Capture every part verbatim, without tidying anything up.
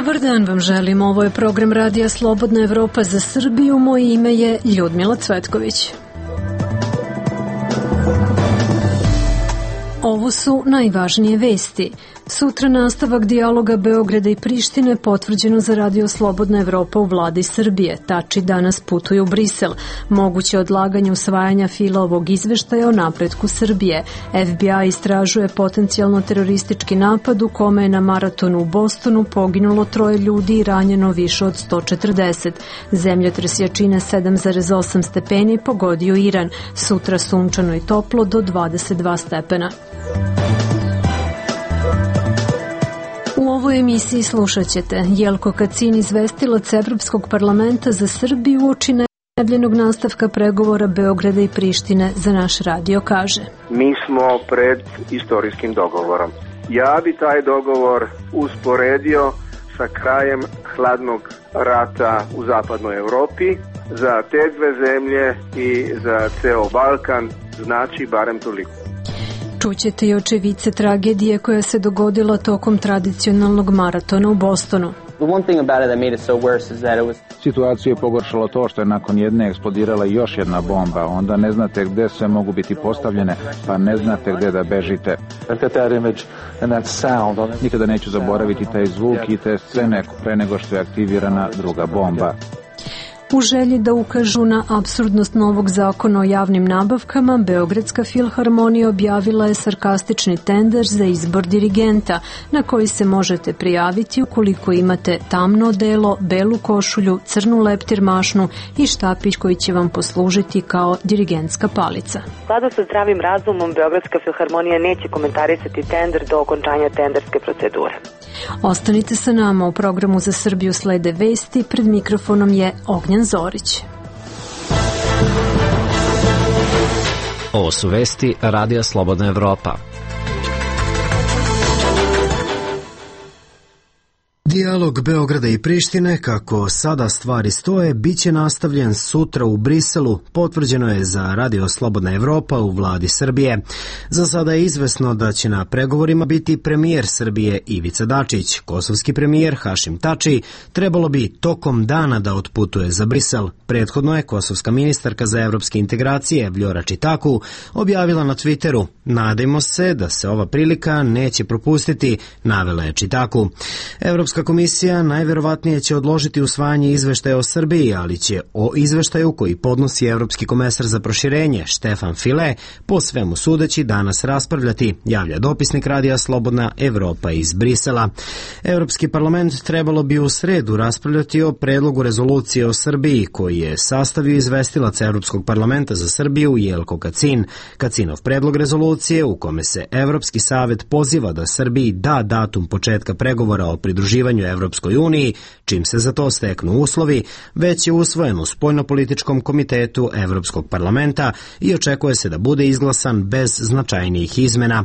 Dobar dan vam želim, ovo je program Radija Slobodna Evropa za Srbiju, moje ime je Ljudmila Cvetković. Ovo su najvažnije vesti. Sutra nastavak dijaloga Beograda i Prištine potvrđeno za Radio Slobodna Evropa u vladi Srbije. Tači danas putuju u Brisel. Moguće odlaganje usvajanja fila ovog izveštaja o napretku Srbije. F B I istražuje potencijalno teroristički napad u kome je na maratonu u Bostonu poginulo troje ljudi i ranjeno više od sto četrdeset. Zemljotres jačine sedam zarez osam stepeni pogodio Iran. Sutra sunčano i toplo do dvadeset dva stepena. U ovoj emisiji slušat ćete Jelko Kacin, izvestilac Evropskog parlamenta za Srbiju uoči najavljenog nastavka pregovora Beograda i Prištine za naš radio kaže. Mi smo pred istorijskim dogovorom. Ja bi taj dogovor usporedio sa krajem hladnog rata u zapadnoj Evropi. Za te dve zemlje i za ceo Balkan znači barem toliko. Čućete i očevice tragedije koja se dogodila tokom tradicionalnog maratona u Bostonu. Situaciju je pogoršalo to što je nakon jedne eksplodirala još jedna bomba, onda ne znate gde sve mogu biti postavljene, pa ne znate gde da bežite. Nikada neću zaboraviti taj zvuk i te scene pre nego što je aktivirana druga bomba. U želji da ukažu na apsurdnost novog zakona o javnim nabavkama, Beogradska filharmonija objavila je sarkastični tender za izbor dirigenta, na koji se možete prijaviti ukoliko imate tamno odelo, belu košulju, crnu leptir mašnu i štapić koji će vam poslužiti kao dirigentska palica. U skladu sa zdravim razumom, Beogradska filharmonija neće komentarisati tender do okončanja tenderske procedure. Ostanite sa nama, u programu za Srbiju slede vesti, pred mikrofonom je Ognjan Zorić. Ovo su vesti Radija Slobodna Evropa. Dijalog Beograda i Prištine, kako sada stvari stoje, bit će nastavljen sutra u Briselu, potvrđeno je za Radio Slobodna Evropa u vladi Srbije. Za sada je izvesno da će na pregovorima biti premijer Srbije Ivica Dačić. Kosovski premijer Hašim Tači trebalo bi tokom dana da otputuje za Brisel. Prethodno je kosovska ministarka za evropske integracije Vljora Čitaku objavila na Twitteru: "Nadajmo se da se ova prilika neće propustiti", navela je Čitaku. Evropska komisija najverovatnije će odložiti usvajanje izveštaja o Srbiji, ali će o izveštaju koji podnosi Evropski komesar za proširenje Štefan File po svemu sudeći danas raspravljati, javlja dopisnik Radija Slobodna Evropa iz Brisela. Evropski parlament trebalo bi u sredu raspravljati o predlogu rezolucije o Srbiji koji je sastavio izvestilac Evropskog parlamenta za Srbiju Jelko Kacin. Kacinov predlog rezolucije u kome se Evropski savet poziva da Srbiji da datum početka pregovora o pridruživanju Evropskoj uniji, čim se za to steknu uslovi, već je usvojen u spoljnopolitičkom komitetu Evropskog parlamenta i očekuje se da bude izglasan bez značajnijih izmena.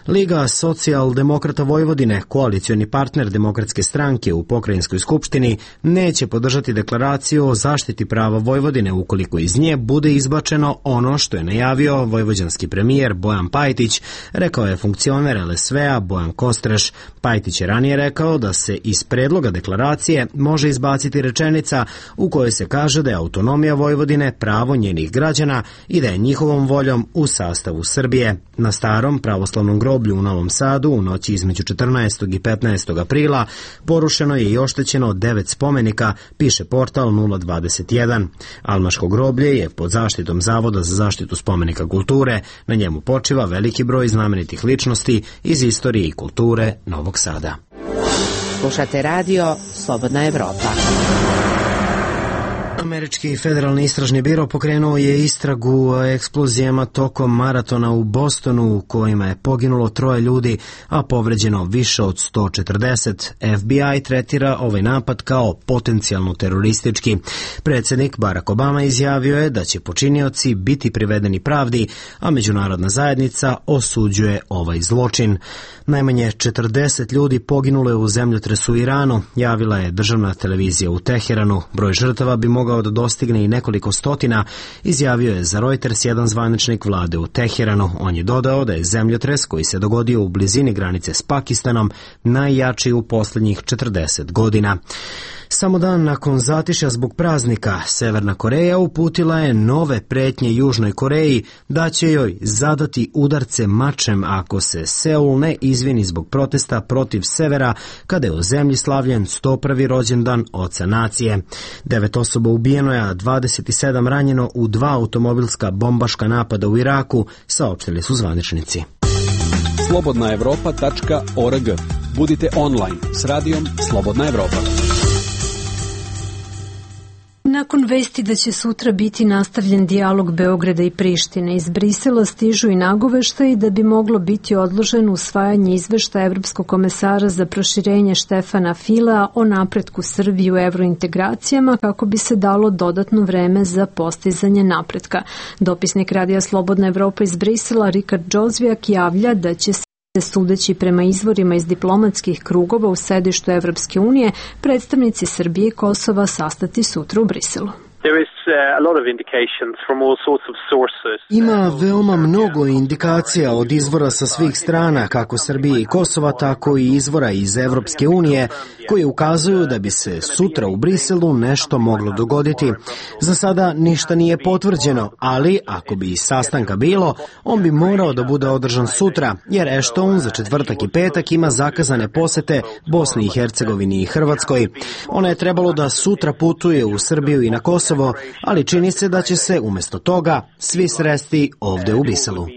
Liga socijaldemokrata Vojvodine, koalicioni partner Demokratske stranke u pokrajinskoj skupštini, neće podržati deklaraciju o zaštiti prava Vojvodine ukoliko iz nje bude izbačeno ono što je najavio vojvođanski premijer Bojan Pajtić, rekao je funkcioner L S V-a Bojan Kostreš. Pajtić je ranije rekao da se iz predloga deklaracije može izbaciti rečenica u kojoj se kaže da je autonomija Vojvodine pravo njenih građana i da je njihovom voljom u sastavu Srbije. Na starom pravoslavnom groblju u Novom Sadu u noći između četrnaestog i petnaestog aprila porušeno je i oštećeno devet spomenika, piše portal nula dvadeset jedan. Almaško groblje je pod zaštitom Zavoda za zaštitu spomenika kulture. Na njemu počiva veliki broj znamenitih ličnosti iz istorije i kulture Novog Sada. Slušate radio Slobodna Evropa. Američki federalni istražni biro pokrenuo je istragu o eksplozijama tokom maratona u Bostonu u kojima je poginulo troje ljudi, a povređeno više od sto četrdeset. F B I tretira ovaj napad kao potencijalno teroristički. Predsjednik Barack Obama izjavio je da će počinioci biti privedeni pravdi, a međunarodna zajednica osuđuje ovaj zločin. Najmanje četrdeset ljudi poginulo je u zemljotresu u Iranu, javila je državna televizija u Teheranu. Broj žrtava bi mogao mogao da dostigne i nekoliko stotina, izjavio je za Reuters jedan zvaničnik vlade u Teheranu. On je dodao da je zemljotres koji se dogodio u blizini granice s Pakistanom najjači u posljednjih četrdeset godina. Samo dan nakon zatišja zbog praznika, Severna Koreja uputila je nove pretnje Južnoj Koreji da će joj zadati udarce mačem ako se Seul ne izvini zbog protesta protiv severa kada je u zemlji slavljen sto prvi rođendan oca nacije. Devet osoba ubijeno je, a dvadeset sedam ranjeno u dva automobilska bombaška napada u Iraku, saopštili su zvaničnici. slobodna evropa tačka org. Budite online s radijom Slobodna Evropa. Nakon vesti da će sutra biti nastavljen dijalog Beograda i Prištine, iz Brisela stižu i nagoveštaji da bi moglo biti odloženo usvajanje izveštaja Evropskog komesara za proširenje Štefana Filea o napretku Srbije u evrointegracijama kako bi se dalo dodatno vreme za postizanje napretka. Dopisnik Radija Slobodna Evropa iz Brisela Rikard Džozvijak javlja da će se sudeći prema izvorima iz diplomatskih krugova u sedištu Evropske unije, predstavnici Srbije i Kosova sastati sutra u Briselu. Ima veoma mnogo indikacija od izvora sa svih strana, kako Srbije i Kosova, tako i izvora iz Evropske unije, koji ukazuju da bi se sutra u Briselu nešto moglo dogoditi. Za sada ništa nije potvrđeno, ali ako bi sastanka bilo, on bi morao da bude održan sutra, jer Ashton za četvrtak i petak ima zakazane posete Bosni i Hercegovini i Hrvatskoj. Ona je trebalo da sutra putuje u Srbiju i na Kosovo, ali čini se da će se umjesto toga svi sresti ovde u Briselu.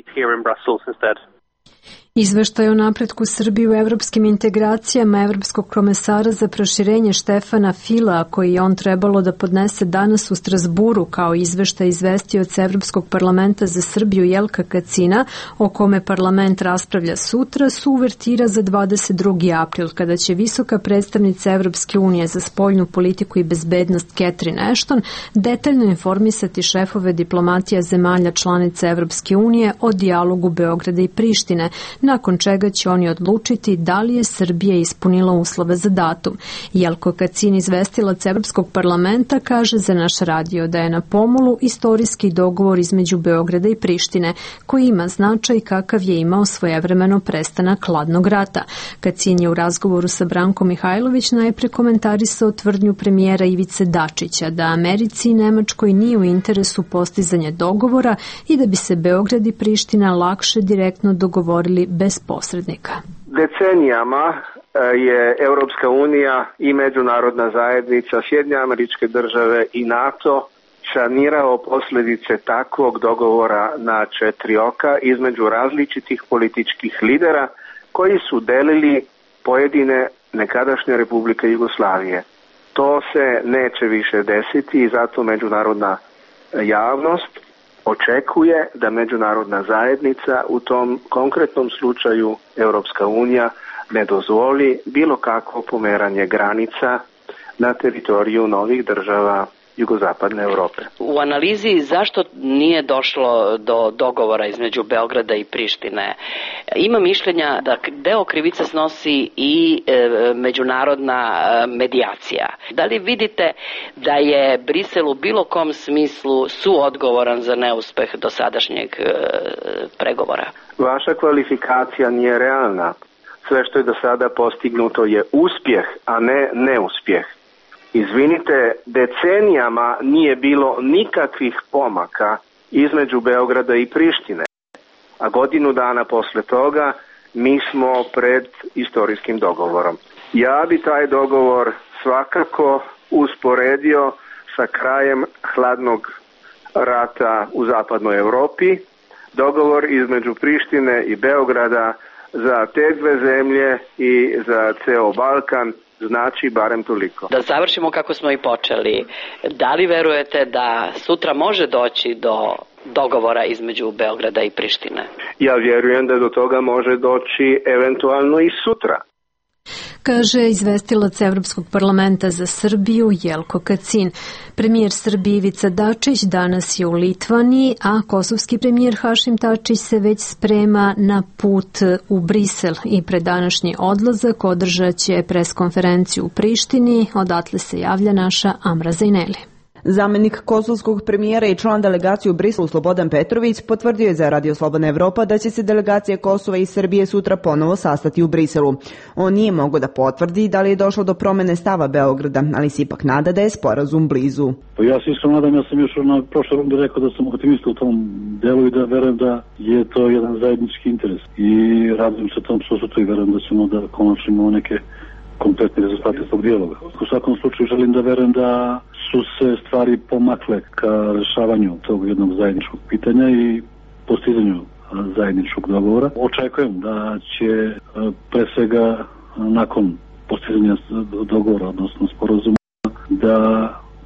Izveštaj o napretku Srbije u evropskim integracijama Evropskog komesara za proširenje Štefana Filea, koji je on trebalo da podnese danas u Strasburu kao izveštaj izvestioca Evropskog parlamenta za Srbiju Jelka Kacina, o kome parlament raspravlja sutra, su uvertira za dvadeset drugi april, kada će visoka predstavnica Evropske unije za spoljnu politiku i bezbednost Catherine Ashton detaljno informisati šefove diplomatija zemalja članica Evropske unije o dijalogu Beograda i Prištine, nakon čega će oni odlučiti da li je Srbija ispunila uslove za datum. Jelko Kacin, izvestilac Evropskog parlamenta, kaže za naš radio da je na pomolu istorijski dogovor između Beograda i Prištine, koji ima značaj kakav je imao svojevremeno prestanak hladnog rata. Kacin je u razgovoru sa Brankom Mihajlović najpre komentarisao tvrdnju premijera Ivice Dačića da Americi i Nemačkoj nije u interesu postizanje dogovora i da bi se Beograd i Priština lakše direktno dogovorili bez posrednika. Decenijama je Europska unija i međunarodna zajednica, Sjedinjene Američke Države i NATO sanirao posljedice takvog dogovora na četiri oka između različitih političkih lidera koji su delili pojedine nekadašnje republike Jugoslavije. To se neće više desiti i zato međunarodna javnost očekuje da međunarodna zajednica, u tom konkretnom slučaju Europska unija, ne dozvoli bilo kakvo pomeranje granica na teritoriju novih država jugozapadne Europe. U analizi zašto nije došlo do dogovora između Beograda i Prištine, ima mišljenja da deo krivice snosi i e, međunarodna e, medijacija. Da li vidite da je Brisel u bilo kom smislu suodgovoran za neuspeh dosadašnjeg e, pregovora? Vaša kvalifikacija nije realna. Sve što je do sada postignuto je uspjeh, a ne neuspjeh. Izvinite, decenijama nije bilo nikakvih pomaka između Beograda i Prištine, a godinu dana posle toga mi smo pred istorijskim dogovorom. Ja bi taj dogovor svakako usporedio sa krajem hladnog rata u zapadnoj Europi. Dogovor između Prištine i Beograda za te dve zemlje i za ceo Balkan znači barem toliko. Da završimo kako smo i počeli. Da li verujete da sutra može doći do dogovora između Beograda i Prištine? Ja vjerujem da do toga može doći eventualno i sutra. Kaže izvestilac Evropskog parlamenta za Srbiju Jelko Kacin. Premijer Srbije Ivica Dačić danas je u Litvaniji, a kosovski premijer Hašim Tačić se već sprema na put u Brisel i pred današnji odlazak održat će preskonferenciju u Prištini. Odatle se javlja naša Amra Zajneli. Zamenik kosovskog premijera i član delegacije u Briselu Slobodan Petrović potvrdio je za Radio Slobodna Evropa da će se delegacija Kosova i Srbije sutra ponovo sastati u Briselu. On nije mogao da potvrdi da li je došlo do promene stava Beograda, ali se ipak nada da je sporazum blizu. Pa ja se isto nadam, ja sam još na prošle runde rekao da sam optimista u tom delu i da verujem da je to jedan zajednički interes. I radujem se tom susretu i verujem da ćemo da konačno imamo neke kompletni rezultati tog dijaloga. U svakom slučaju želim da verujem da su se stvari pomakle ka rešavanju tog jednog zajedničkog pitanja i postizanju zajedničkog dogovora. Očekujem da će pre svega nakon postizanja dogovora, odnosno sporazuma, da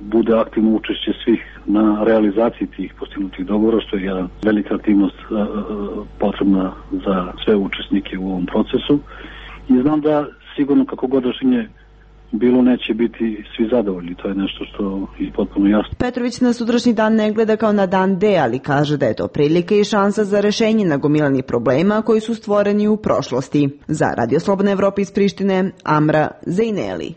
bude aktivno učešće svih na realizaciji tih postignutih dogovora, što je jedna velika aktivnost potrebna za sve učesnike u ovom procesu. I znam da sigurno kako god rešenje bilo neće biti svi zadovoljni, to je nešto što je potpuno jasno. Petrović na sutrašnji dan ne gleda kao na dan D, ali kaže da je to prilika i šansa za rešenje nagomilanih problema koji su stvoreni u prošlosti. Za Radio Slobodna Evropa iz Prištine, Amra Zejneli.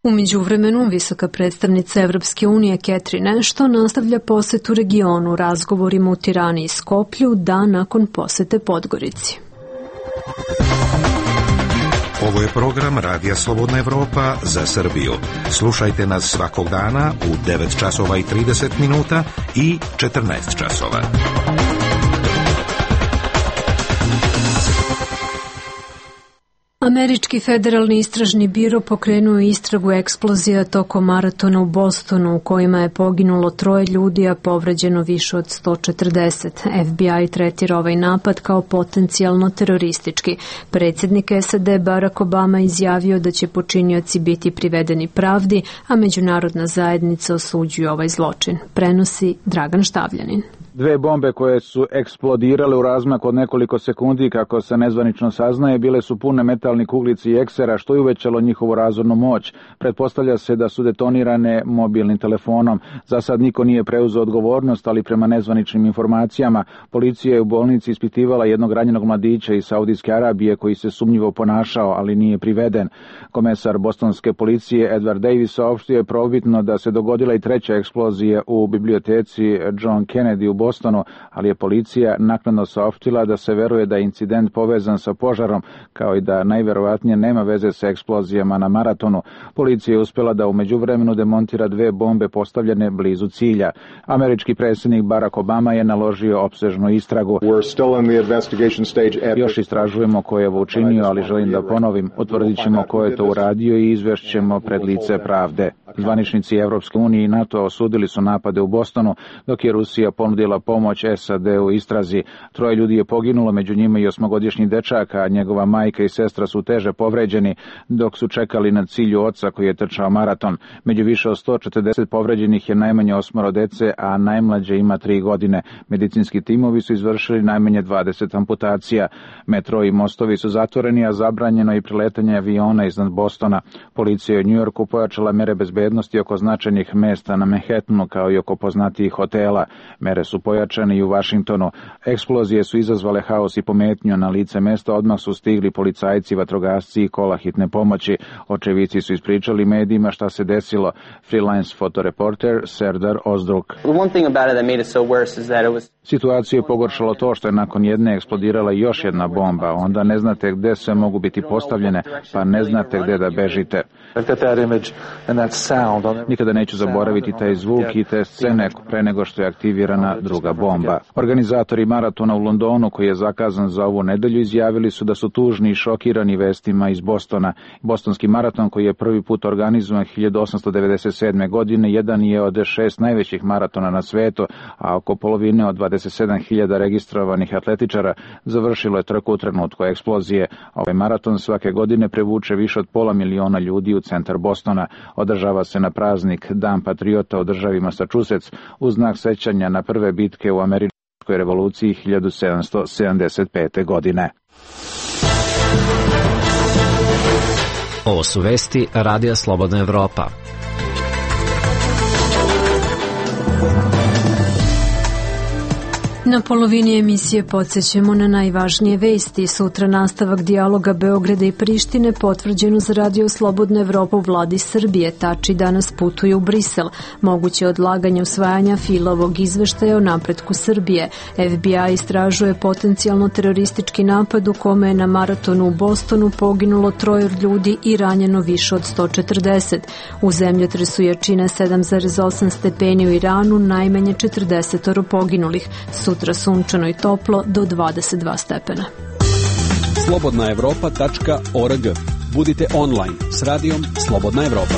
U međuvremenu, visoka predstavnica Evropske unije Catherine Ashton nastavlja posetu regionu razgovorima u Tirani i Skoplju dan nakon posete Podgorici. Ovo je program Radija Slobodna Evropa za Srbiju. Slušajte nas svakog dana u devet časova i trideset minuta i četrnaest časova. Američki federalni istražni biro pokrenuo istragu eksplozija tokom maratona u Bostonu u kojima je poginulo troje ljudi, a povređeno više od sto četrdeset. F B I tretira ovaj napad kao potencijalno teroristički. Predsjednik S A D Barack Obama izjavio da će počinioci biti privedeni pravdi, a međunarodna zajednica osuđuje ovaj zločin. Prenosi Dragan Štavljanin. Dve bombe koje su eksplodirale u razmaku od nekoliko sekundi, kako se nezvanično saznaje, bile su pune metalnih kuglici i eksera, što je uvećalo njihovu razornu moć. Pretpostavlja se da su detonirane mobilnim telefonom. Za sad niko nije preuzeo odgovornost, ali prema nezvaničnim informacijama, policija je u bolnici ispitivala jednog ranjenog mladića iz Saudijske Arabije koji se sumnjivo ponašao, ali nije priveden. Komesar bostonske policije Edward Davis saopštio je probitno da se dogodila i treća eksplozija u biblioteci John Kennedy u Bostonu, ali je policija naknadno saopštila da se veruje da je incident povezan sa požarom, kao i da najverovatnije nema veze sa eksplozijama na maratonu. Policija je uspjela da u međuvremenu demontira dve bombe postavljene blizu cilja. Američki predsjednik Barack Obama je naložio opsežnu istragu. Još istražujemo ko je ovo učinio, ali želim da ponovim, utvrdit ćemo ko je to uradio i izvešćemo pred lice pravde. Zvaničnici Evropske unije i NATO osudili su napade u Bostonu, dok je Rusija ponudila pomoć S A D u istrazi. Troje ljudi je poginulo, među njima i osmogodišnji dečak, a njegova majka i sestra su teže povređeni dok su čekali na cilju oca koji je trčao maraton. Među više od sto četrdeset povređenih je najmanje osmoro dece, a najmlađe ima tri godine. Medicinski timovi su izvršili najmanje dvadeset amputacija. Metro i mostovi su zatvoreni, a zabranjeno i priletanje aviona iznad Bostona. Policija je u Njujorku pojačala mere bezbednosti oko značajnih mesta na Manhattanu, kao i oko poznatijih hotela. Mere su pojačane i u Vašingtonu. Eksplozije su izazvale haos i pometnju. Na lice mesta odmah su stigli policajci, vatrogasci i kola hitne pomoći. Očevici su ispričali medijima šta se desilo. Freelance fotoreporter Serdar Ozdruk. Situaciju je pogoršalo to što je nakon jedne eksplodirala još jedna bomba. Onda ne znate gde sve mogu biti postavljene, pa ne znate gde da bežite. Nikada neću zaboraviti taj zvuk i te scene pre nego što je aktivirana druga bomba. Organizatori maratona u Londonu, koji je zakazan za ovu nedelju, izjavili su da su tužni i šokirani vestima iz Bostona. Bostonski maraton, koji je prvi put organizovan hiljadu osamsto devedeset sedme. godine, jedan je od šest najvećih maratona na svetu, a oko polovine od dvadeset sedam hiljada registrovanih atletičara završilo je trku u trenutku eksplozije. Ovaj maraton svake godine prevuče više od pola miliona ljudi u centar Bostona. Održava se na praznik Dan patriota u državi Massachusetts u znak sećanja na prve bitke u američkoj revoluciji hiljadu sedamsto sedamdeset pete. godine. Ovo su vesti Radija Slobodna Evropa. Na polovini emisije podsjećamo na najvažnije vesti. Sutra nastavak dijaloga Beograda i Prištine potvrđeno za Radio Slobodna Evropa u vladi Srbije. Tači danas putuje u Brisel. Moguće odlaganje usvajanja Filovog izveštaja o napretku Srbije. F B I istražuje potencijalno teroristički napad u kome je na maratonu u Bostonu poginulo troje ljudi i ranjeno više od sto četrdeset. U zemljotresu jačine sedam zarez osam stepeni u Iranu, najmanje četrdeset poginulih. Sutra sunčano i toplo do dvadeset dva stepena. slobodna evropa tačka org. Budite online s radijom Slobodna Evropa.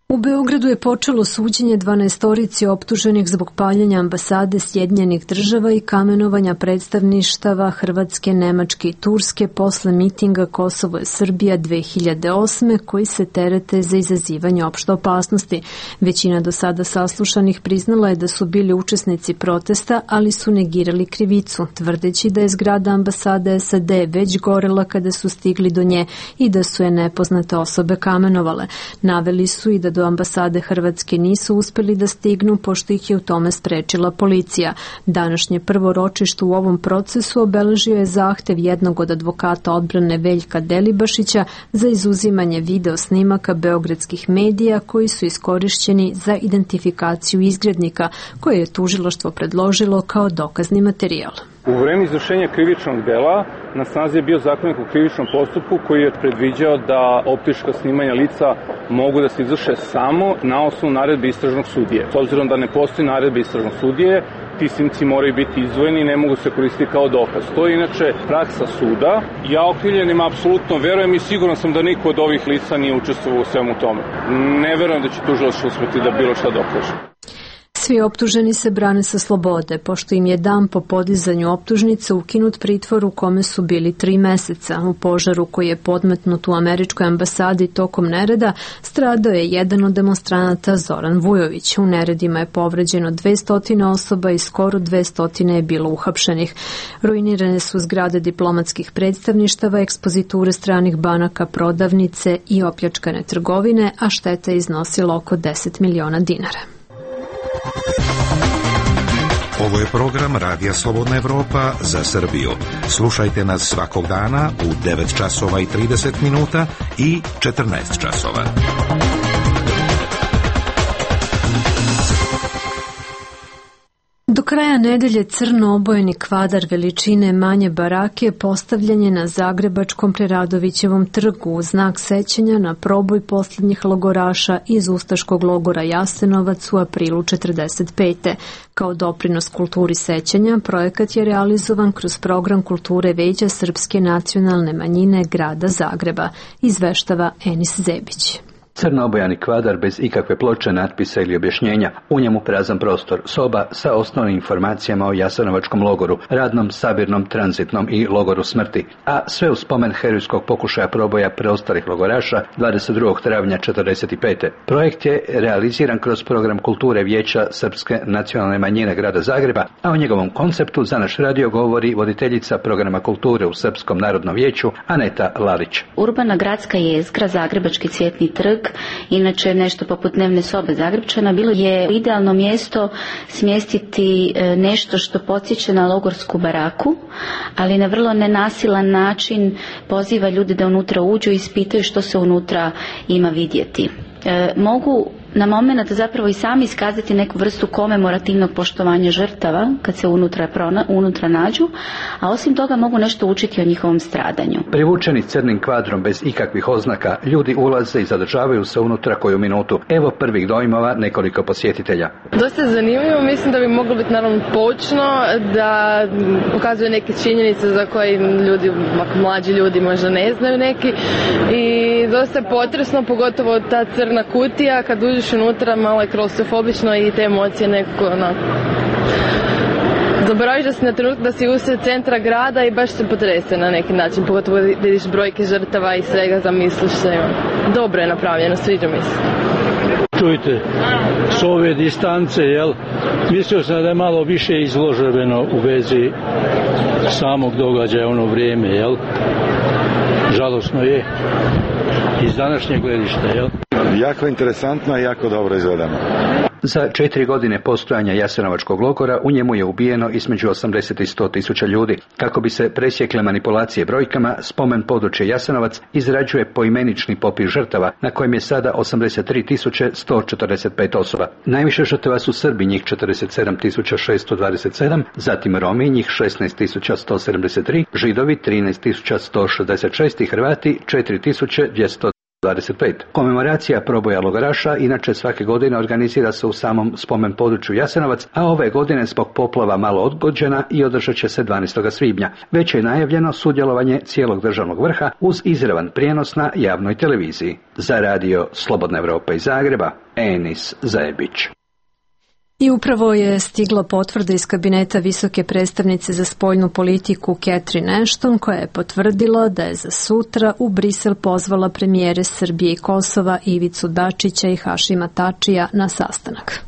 U Beogradu je počelo suđenje dvanaestorici optuženih zbog paljenja ambasade Sjedinjenih država i kamenovanja predstavništava Hrvatske, Nemačke i Turske posle mitinga Kosovo je Srbija dve hiljade osme koji se terete za izazivanje opšte opasnosti. Većina do sada saslušanih priznala je da su bili učesnici protesta, ali su negirali krivicu, tvrdeći da je zgrada ambasade S A D već gorela kada su stigli do nje i da su je nepoznate osobe kamenovale. Naveli su i da do ambasade Hrvatske nisu uspeli da stignu, pošto ih je u tome sprečila policija. Današnje prvo ročište u ovom procesu obeležio je zahtev jednog od advokata odbrane Veljka Delibašića za izuzimanje video snimaka beogradskih medija koji su iskorišćeni za identifikaciju izgrednika, koje je tužilaštvo predložilo kao dokazni materijal. U vreme izvršenja krivičnog dela na snazi je bio zakonik o krivičnom postupku koji je predviđao da optička snimanja lica mogu da se izvrše samo na osnovu naredbe istražnog sudije. S obzirom da ne postoji naredbe istražnog sudije, ti snimci moraju biti izdvojeni i ne mogu se koristiti kao dokaz. To je inače praksa suda. Ja okrivljenima apsolutno verujem i siguran sam da niko od ovih lica nije učestvovao u svemu tome. Ne verujem da će tužilaštvo uspeti da bilo šta dokaže. Svi optuženi se brane sa slobode, pošto im je dan po podizanju optužnice ukinut pritvor u kome su bili tri meseca. U požaru koji je podmetnut u američkoj ambasadi tokom nereda stradao je jedan od demonstranata Zoran Vujović. U neredima je povređeno dvesta osoba i skoro dvesta je bilo uhapšenih. Ruinirane su zgrade diplomatskih predstavništava, ekspoziture stranih banaka, prodavnice i opljačkane trgovine, a šteta je iznosila oko deset miliona dinara. Ovo je program Radija Slobodna Evropa za Srbiju. Slušajte nas svakog dana u devet časova i trideset minuta i četrnaest časova. Do kraja nedelje crno obojeni kvadar veličine manje barake postavljen je na zagrebačkom Preradovićevom trgu u znak sećanja na proboj posljednjih logoraša iz ustaškog logora Jasenovac u aprilu četrdeset pete. Kao doprinos kulturi sećanja, projekat je realizovan kroz program kulture Veća srpske nacionalne manjine grada Zagreba, izveštava Enis Zebić. Crno-obojani kvadar bez ikakve ploče, natpisa ili objašnjenja, u njemu prazan prostor, soba sa osnovnim informacijama o Jasenovačkom logoru, radnom, sabirnom, tranzitnom i logoru smrti, a sve u spomen herojskog pokušaja proboja preostalih logoraša dvadeset drugog travnja četrdeset pete. Projekt je realiziran kroz program kulture Vijeća srpske nacionalne manjine grada Zagreba, a o njegovom konceptu za naš radio govori voditeljica programa kulture u Srpskom narodnom vijeću Aneta Lalić. Urbana gradska jezgra, Zagrebački cvjetni trg, inače nešto poput dnevne sobe Zagrepčana, bilo je idealno mjesto smjestiti nešto što podsjeća na logorsku baraku, ali na vrlo nenasilan način poziva ljude da unutra uđu i ispitaju što se unutra ima vidjeti. E, mogu na moment zapravo i sami iskazati neku vrstu komemorativnog poštovanja žrtava kad se unutra, prona, unutra nađu, a osim toga mogu nešto učiti o njihovom stradanju. Privučeni crnim kvadrom bez ikakvih oznaka, ljudi ulaze i zadržavaju se unutra koju minutu. Evo prvih dojmova nekoliko posjetitelja. Dosta zanimljivo, mislim da bi moglo biti naravno poučno, da pokazuje neke činjenice za koje ljudi, mlađi ljudi možda ne znaju neki, i dosta je potresno, pogotovo ta crna kutija, kad uđeš unutra, malo je klaustrofobično i te emocije nekako onako. Zaboraviš da si na trenutak da si usred centra grada i baš se potrese na neki način, pogotovo vidiš brojke žrtava i svega, zamisliš se. Dobro je napravljeno, sviđa mi se. Čujte, s ove distance, jel, mislio sam da je malo više izloženo u vezi samog događaja ono vrijeme, jel? Žalosno je iz današnjeg gledišta, jel? jako interesantno i jako dobro izvedeno. Za četiri godine postojanja Jasenovačkog logora u njemu je ubijeno između osamdeset i sto tisuća ljudi. Kako bi se presjekle manipulacije brojkama, spomen područje Jasenovac izrađuje poimenični popis žrtava, na kojem je sada osamdeset tri tisuće sto četrdeset pet osoba. Najviše žrtava su Srbi, njih četrdeset sedam tisuća šesto dvadeset sedam, zatim Romi, njih šesnaest tisuća sto sedamdeset tri, Židovi trinaest tisuća sto šezdeset šest i Hrvati četiri tisuće dvjesto dvadeset pet. Komemoracija proboja logoraša inače svake godine organizira se u samom spomen području Jasenovac, a ove godine zbog poplava malo odgođena i održat će se dvanaestog svibnja. Već je najavljeno sudjelovanje cijelog državnog vrha uz izravan prijenos na javnoj televiziji. Za radio Slobodna Evropa iz Zagreba, Enis Zajebić. I upravo je stigla potvrda iz kabineta visoke predstavnice za spoljnu politiku Catherine Ashton, koja je potvrdila da je za sutra u Brisel pozvala premijere Srbije i Kosova Ivicu Dačića i Hašima Tačija na sastanak.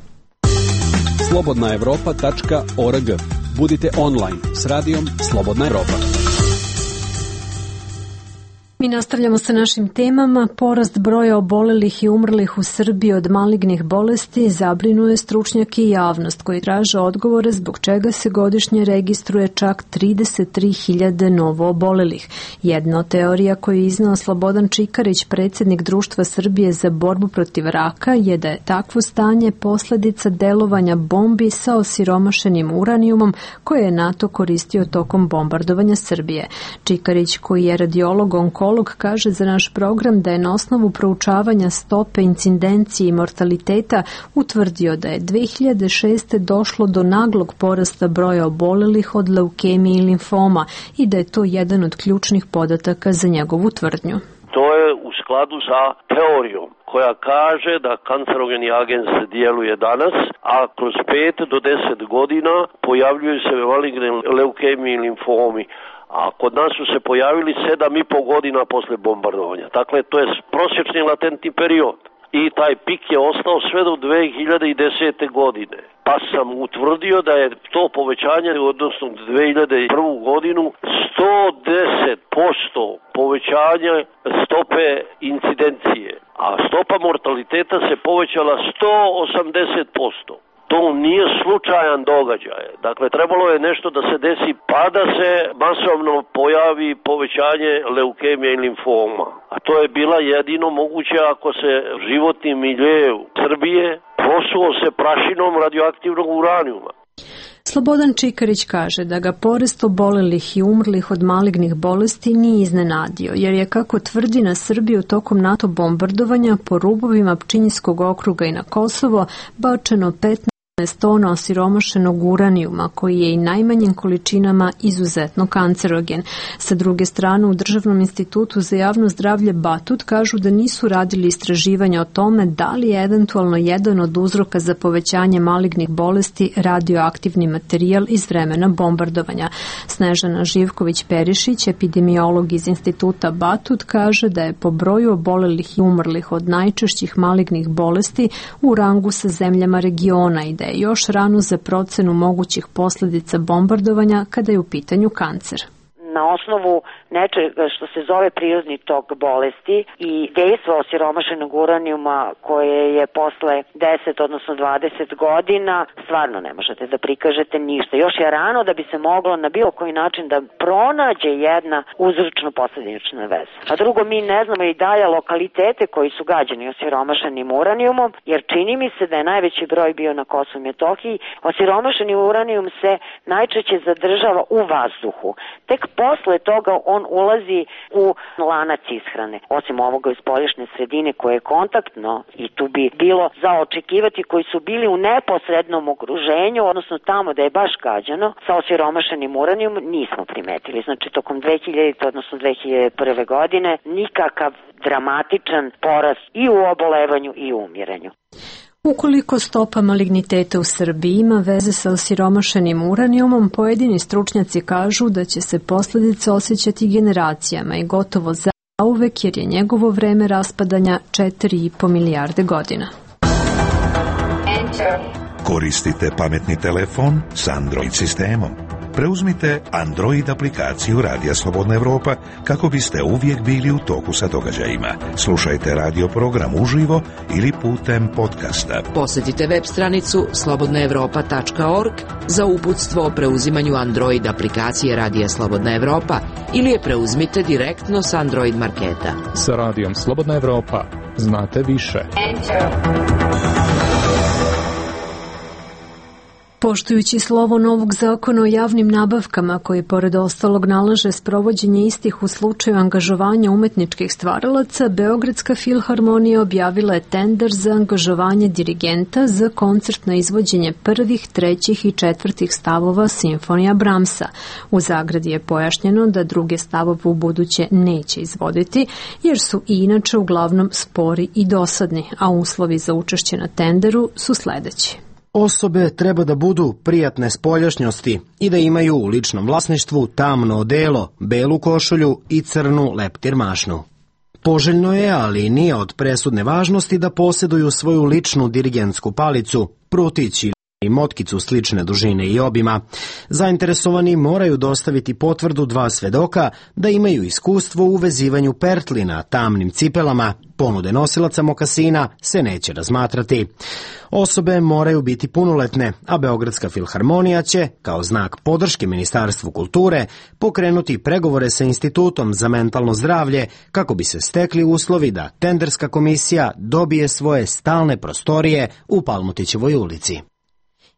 slobodna evropa tačka org. Budite online s radijom Slobodna Evropa. Mi nastavljamo sa našim temama. Porast broja obolelih i umrlih u Srbiji od malignih bolesti zabrinuje stručnjake i javnost koji traže odgovore zbog čega se godišnje registruje čak trideset tri hiljade novo obolelih. Jedna od teorija koju je iznao Slobodan Čikarić, predsjednik Društva Srbije za borbu protiv raka, je da je takvo stanje posljedica delovanja bombi sa osiromašenim uranijumom koje je NATO koristio tokom bombardovanja Srbije. Čikarić, koji je radiolog onkolog, kaže za naš program da je na osnovu proučavanja stope incidencije i mortaliteta utvrdio da je dve hiljade šeste. došlo do naglog porasta broja obolelih od leukemije i limfoma i da je to jedan od ključnih podataka za njegovu tvrdnju. To je u skladu sa teorijom koja kaže da kancerogeni agens djeluje danas, a kroz pet do deset godina pojavljuju se maligne leukemije i limfomi. A kod nas su se pojavili sedam i po godina posle bombardovanja. Dakle, to je prosječni latentni period. I taj pik je ostao sve do dve hiljade desete. godine. Pa sam utvrdio da je to povećanje, odnosno dve hiljade prvu. godinu, sto deset posto povećanje stope incidencije. A stopa mortaliteta se povećala sto osamdeset posto. To nije slučajan događaj. Dakle, trebalo je nešto da se desi pa da se masovno pojavi povećanje leukemije i limfoma. A to je bila jedino moguće ako se životni milje Srbije prosuo se prašinom radioaktivnog uranijuma. Slobodan Čikarić kaže da ga porast obolelih i umrlih od malignih bolesti nije iznenadio, jer je, kako tvrdi, na Srbiju tokom NATO bombardovanja po rubovima Pčinjskog okruga i na Kosovo bačeno petnaest tona osiromašenog uranijuma, koji je i najmanjim količinama izuzetno kancerogen. Sa druge strane, u Državnom institutu za javno zdravlje Batut kažu da nisu radili istraživanja o tome da li je eventualno jedan od uzroka za povećanje malignih bolesti radioaktivni materijal iz vremena bombardovanja. Snežana Živković-Perišić, epidemiolog iz instituta Batut, kaže da je po broju obolelih i umrlih od najčešćih malignih bolesti u rangu sa zemljama regiona i da je još rano za procenu mogućih posljedica bombardovanja kada je u pitanju kancer. Na osnovu nečega što se zove prirodni tok bolesti i dejstvo osiromašenog uranijuma koje je posle deset odnosno dvadeset godina, stvarno ne možete da prikažete ništa. Još je rano da bi se moglo na bilo koji način da pronađe jedna uzročno-posljednična veza. A drugo, mi ne znamo i dalje lokalitete koji su gađani osiromašenim uranijumom, jer čini mi se da je najveći broj bio na Kosovu i Metohiji. Osiromašeni uranijum se najčešće zadržava u vazduhu. Tek posle toga on ulazi u lanac ishrane. Osim ovoga iz spoljašnje sredine koje je kontaktno i tu bi bilo za očekivati koji su bili u neposrednom okruženju, odnosno tamo da je baš gađano sa osiromašenim uranijom, nismo primetili. Znači tokom dve hiljadite odnosno dve hiljade prve. godine nikakav dramatičan porast i u obolevanju i u umiranju. Ukoliko stopa maligniteta u Srbiji ima veze sa osiromašenim uranijumom, pojedini stručnjaci kažu da će se posljedice osjećati generacijama i gotovo zauvek, jer je njegovo vreme raspadanja četiri i po milijarde godina. Koristite pametni telefon s Android sistemom. Preuzmite Android aplikaciju Radija Slobodna Evropa kako biste uvijek bili u toku sa događajima. Slušajte radio program uživo ili putem podcasta. Posjetite web stranicu slobodna evropa tačka org za uputstvo o preuzimanju Android aplikacije Radija Slobodna Evropa ili je preuzmite direktno s Android marketa. Sa Radijom Slobodna Evropa znate više. Poštujući slovo novog zakona o javnim nabavkama, koji pored ostalog nalaže sprovođenje istih u slučaju angažovanja umetničkih stvaralaca, Beogradska filharmonija objavila je tender za angažovanje dirigenta za koncertno izvođenje prvih, trećih i četvrtih stavova simfonija Brahmsa. U zagradi je pojašnjeno da druge stavove u buduće neće izvoditi, jer su i inače uglavnom spori i dosadni, a uslovi za učešće na tenderu su sledeći. Osobe treba da budu prijatne spoljašnjosti i da imaju u ličnom vlasništvu tamno odelo, belu košulju i crnu leptir mašnu. Poželjno je, ali nije od presudne važnosti da posjeduju svoju ličnu dirigentsku palicu, prutić i motkicu slične dužine i obima. Zainteresovani moraju dostaviti potvrdu dva svedoka da imaju iskustvo u vezivanju pertli na tamnim cipelama. Ponude nosilaca mokasina se neće razmatrati. Osobe moraju biti punoletne, a Beogradska filharmonija će, kao znak podrške Ministarstvu kulture, pokrenuti pregovore sa Institutom za mentalno zdravlje kako bi se stekli uslovi da tenderska komisija dobije svoje stalne prostorije u Palmotićevoj ulici.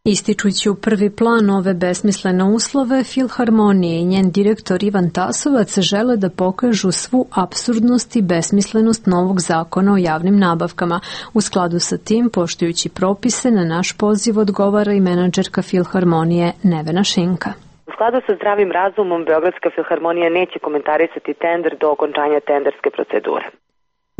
Ističući u prvi plan ove besmislene uslove, Filharmonije i njen direktor Ivan Tasovac žele da pokažu svu apsurdnost i besmislenost novog zakona o javnim nabavkama. U skladu sa tim, poštujući propise, na naš poziv odgovara i menadžerka Filharmonije Nevena Šinka. U skladu sa zdravim razumom, Beogradska filharmonija neće komentarisati tender do okončanja tenderske procedure.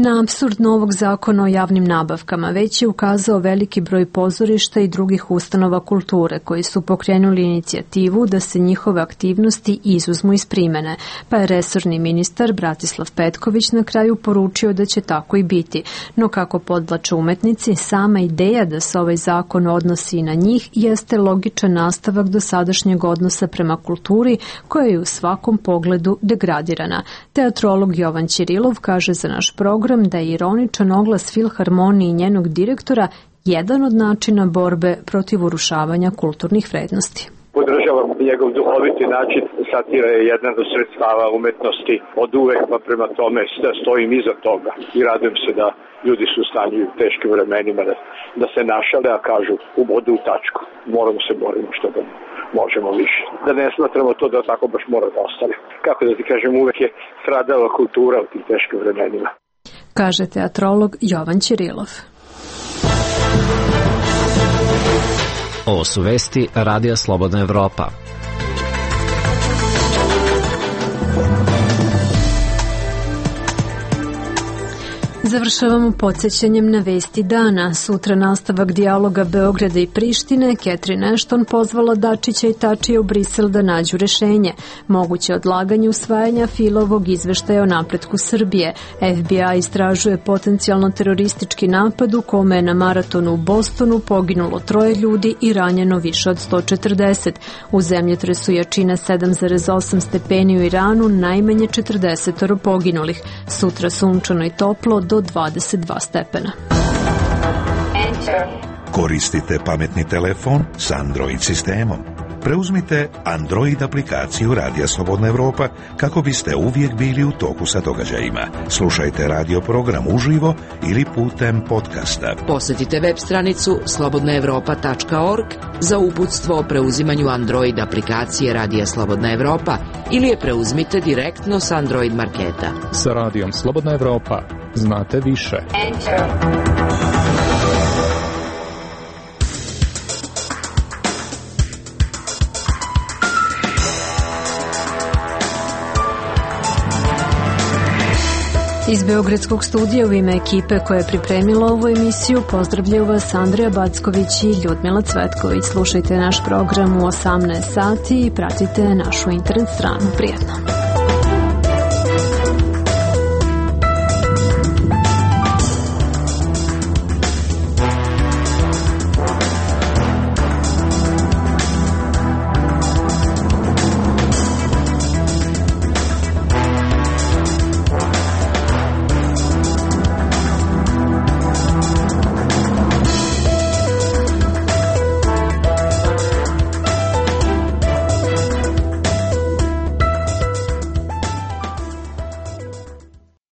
Na apsurd novog zakona o javnim nabavkama već je ukazao veliki broj pozorišta i drugih ustanova kulture koji su pokrenuli inicijativu da se njihove aktivnosti izuzmu iz primene, pa je resorni ministar Bratislav Petković na kraju poručio da će tako i biti. No kako podvlače umetnici, sama ideja da se ovaj zakon odnosi i na njih jeste logičan nastavak dosadašnjeg odnosa prema kulturi koja je u svakom pogledu degradirana. Teatrolog Jovan Ćirilov kaže za naš program da je ironičan oglas Filharmonije i njenog direktora jedan od načina borbe protiv urušavanja kulturnih vrednosti. Podržavam njegov duhoviti način, satira je jedan od sredstava umetnosti od uvek, pa prema tome stojim iza toga i radujem se da ljudi su u stanju u teškim vremenima da, da se našale, a kažu u bodu u tačku. Moramo se borimo što da možemo više. Da ne smatramo to da tako baš mora da ostane. Kako da ti kažem, uvek je stradala kultura u tim teškim vremenima. Kaže teatrolog Jovan Ćirilov. Ovo su vesti Radija Slobodna Evropa. Završavamo podsjećanjem na vesti dana. Sutra nastavak dijaloga Beograda i Prištine. Catherine Ashton pozvala Dačića i Tačija u Brisel da nađu rešenje. Moguće odlaganje usvajanja Filovog izveštaja o napretku Srbije. F B I istražuje potencijalno teroristički napad u kome je na maratonu u Bostonu poginulo troje ljudi i ranjeno više od sto četrdeset. U zemljotresu jačine sedam zarez osam stepeni u Iranu najmanje četrdeset poginulih. Sutra sunčano i toplo do dvadeset dva stepena. Koristite pametni telefon s Android sistemom. Preuzmite Android aplikaciju Radija Slobodna Evropa kako biste uvijek bili u toku sa događajima. Slušajte radio program uživo ili putem podcasta. Posjetite web stranicu slobodna evropa tačka org za uputstvo o preuzimanju Android aplikacije Radija Slobodna Evropa ili je preuzmite direktno s Android marketa. Sa Radijom Slobodna Evropa znate više. Enter. Iz Beogradskog studija u ime ekipe koja je pripremila ovu emisiju pozdravljaju vas Andreja Backović i Ljudmila Cvetković. Slušajte naš program u osamnaest sati i pratite našu internet stranu. Prijetno!